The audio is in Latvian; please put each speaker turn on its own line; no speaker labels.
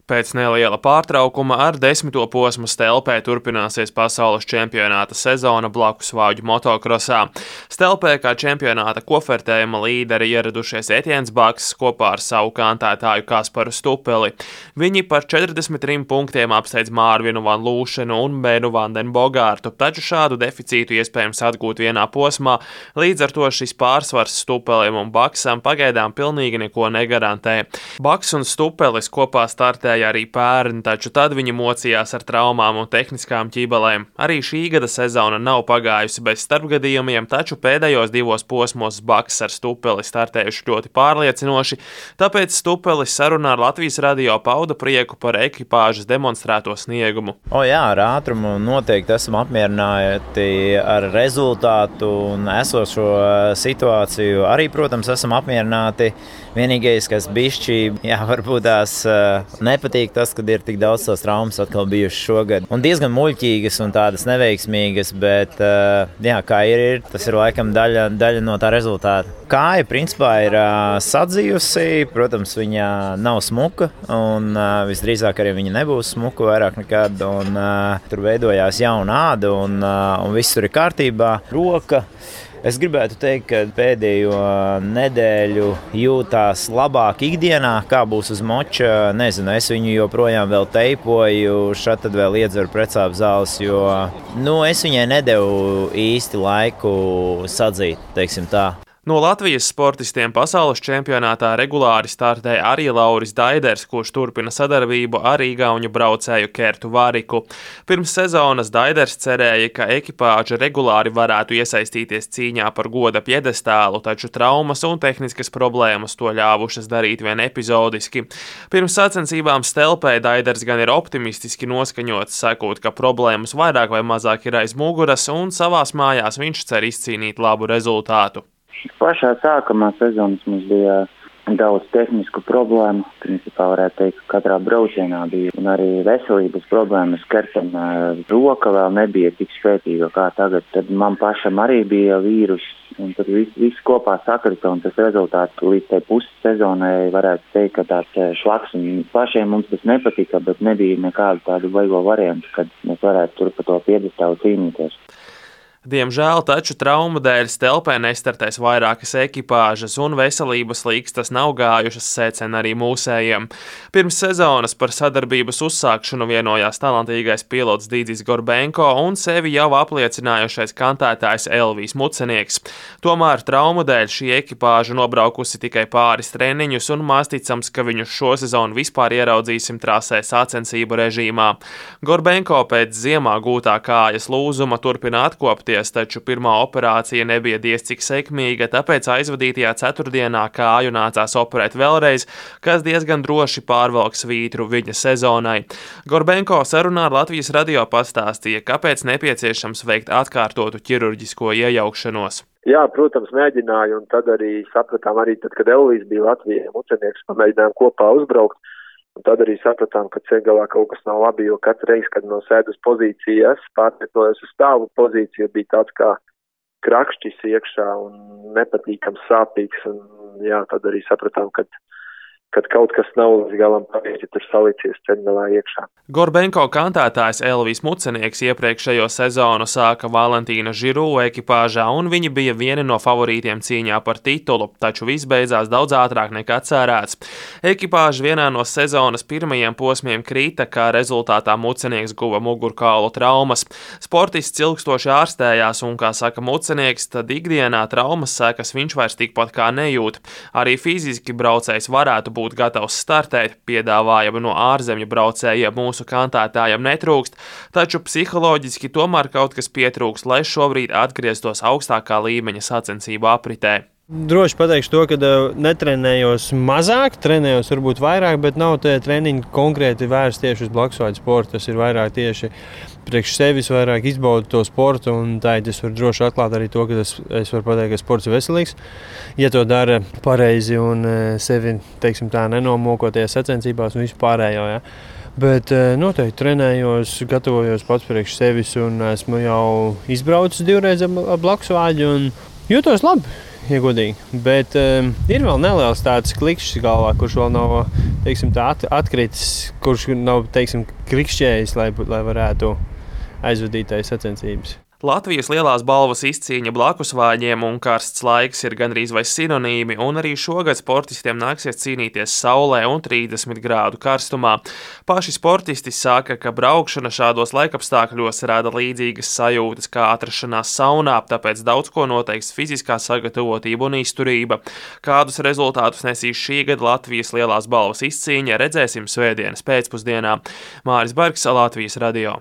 Pēc neliela pārtraukuma ar 10. posmu Stelpē turpināsies pasaules čempionāta sezona blakus vāģu motokrosā. Stelpē kā čempionāta kofertējuma līderi ieradušies Etiens Baks kopā ar savu kantētāju Kasparu Stupeli. Viņi par 43 punktiem apsteidz Mārvinu Van Lūšenu un Benu Vanden Bogārtu, taču šādu deficītu iespējams atgūt vienā posmā, līdz ar to šis pārsvars Stupelim un Baksam pagaidām pilnīgi neko negarantē. Baks un Stupelis kopā startēja arī pērn, taču tad viņi mocījās ar traumām un tehniskām ķībelēm. Arī šī gada sezona nav pagājusi bez starpgadījumiem, taču pēdējos 2 posmos Baks ar Stupeli startējuši ļoti pārliecinoši, tāpēc Stupelis sarunā ar Latvijas radio pauda prieku par ekipāžas demonstrēto sniegumu.
Jā, ar ātrumu noteikti esam apmierināti ar rezultātu un esošo situāciju. Arī, protams, esam apmierināti. Vienīgais, kas bišķi, varbūt tās nepatīk tas, kad ir tik daudz tās traumas atkal bijušas šogad. Un diezgan muļķīgas un tādas neveiksmīgas, bet kā ir, tas ir laikam daļa no tā rezultāta. Kāja principā ir sadzījusi, protams, viņa nav smuka un visdrīzāk arī viņa nebūs smuka vairāk nekad. Un, tur veidojās jauna āda un viss tur ir kārtībā. Roka. Es gribētu teikt, ka pēdējo nedēļu jūtās labāk ikdienā, kā būs uz moča. Nezinu, es viņu joprojām vēl teipoju, šad tad vēl iedzeru precāpju zāles, jo es viņai nedevu īsti laiku sadzīt, teiksim tā.
No Latvijas sportistiem pasaules čempionātā regulāri startē arī Lauris Daiders, kurš turpina sadarbību ar igauņu braucēju Kertu Variku. Pirms sezonas Daiders cerēja, ka ekipāža regulāri varētu iesaistīties cīņā par goda pjedestālu, taču traumas un tehniskas problēmas to ļāvušas darīt vien epizodiski. Pirms sacensībām Stelpē Daiders gan ir optimistiski noskaņots, sakot, ka problēmas vairāk vai mazāk ir aiz muguras un savās mājās viņš cer izcīnīt labu rezultātu.
Pašā sākumā sezonas mums bija daudz tehnisku problēmu. Principā varētu teikt, ka katrā braucienā bija un arī veselības problēmas. Kertam roka vēl nebija tik spēcīga kā tagad. Tad man pašam arī bija vīrus un tad viss kopā sakrita un tas rezultāts līdz tai pussezonai varētu teikt, ka tāds šlaks un pašiem mums tas nepatika, bet nebija nekādu tādu baigo variantu, kad mēs varētu tur pa to pjedestālu cīnīties.
Diemžēl taču traumu dēļ Stelpē nestartēs vairākas ekipāžas un veselības līkstas nav gājušas, secina arī mūsējiem. Pirms sezonas par sadarbības uzsākšanu vienojās talantīgais pilots Dīdzis Gorbenko un sevi jau apliecinājušais kantētājs Elvijs Mucenieks. Tomēr traumu dēļ šī ekipāža nobraukusi tikai pāris treniņus un māsticams, ka viņus šo sezonu vispār ieraudzīsim trasē sacensību režīmā. Gorbenko pēc ziemā gūtā kājas lūzuma turpina atkopties, taču pirmā operācija nebija diez cik sekmīga, tāpēc aizvadītajā ceturtdienā kāju nācās operēt vēlreiz, kas diezgan droši pārvalks vītru viņa sezonai. Gorbenko sarunā ar Latvijas radio pastāstīja, kāpēc nepieciešams veikt atkārtotu ķirurģisko iejaukšanos.
Jā, protams, mēģināju, un tad arī sapratām, kad Elvijs bija Latvijā Mucenieks, pamēģinājām kopā uzbraukt. Un tad arī sapratām, ka ceļgalā kaut kas nav labi, jo katru reizi, kad no sēdas pozīcijas pārvietojos uz stāvu pozīciju, bija tāds kā krakšķis iekšā un nepatīkams sāpīgs. Un tad arī sapratām, kad kaut kas nav līdz galam pareizi tur salicies ceļgalā iekšā.
Gorbenko kantētājs Elvijs Mucenieks iepriekšējo sezonu sāka Valentīna Žirū ekipāžā, un viņi bija vieni no favorītiem cīņā par titulu, taču viss beidzās daudz ātrāk nekā cerēts. Ekipāža vienā no sezonas pirmajiem posmiem krita, kā rezultātā Mucenieks guva mugurkaulu traumas. Sportists ilgstoši ārstējās, un, kā saka Mucenieks, tad ikdienā traumas sekas viņš vairs tikpat kā nejūt. Arī fiziski braucējs varētu būt gatavs startēt, piedāvājumi no ārzemju braucējiem mūsu kantētājiem netrūkst, taču psiholoģiski tomēr kaut kas pietrūkst, lai šobrīd atgrieztos augstākā līmeņa sacensību apritē.
Droši pateikšu to, ka netrenējos mazāk, trenējos varbūt vairāk, bet nav tie treniņi konkrēti vērsti tieši uz blakusvāģu sportu. Tas ir vairāk tieši priekš sevis, vairāk izbaudu to sportu, un tā es varu droši atklāt arī to, ka es varu pateikt, ka sports ir veselīgs. Ja to dara pareizi un sevi, teiksim tā, nenomokoties sacensībās un visu pārējo, ja. Bet noteikti trenējos, gatavojos pats priekš sevis un esmu jau izbraucis 2 reizes ar blakusvāģu un jūtos labi. ja godīgi. Bet ir vēl neliels tāds klikšķis galvā, kurš vēl nav, teiksim, tā atkritis, kurš nav, teiksim, klikšķējis, lai varētu aizvadīt sacensības.
Latvijas lielās balvas izcīņa blakusvāģiem un karsts laiks ir gandrīz vai sinonīmi, un arī šogad sportistiem nāksies cīnīties saulē un 30 grādu karstumā. Paši sportisti saka, ka braukšana šādos laikapstākļos rada līdzīgas sajūtas kā atrašanās saunā, tāpēc daudz ko noteiks fiziskā sagatavotība un izturība. Kādus rezultātus nesīs šī gada Latvijas lielās balvas izcīņa, redzēsim svētdienas pēcpusdienā. Māris Bergs, Latvijas radio.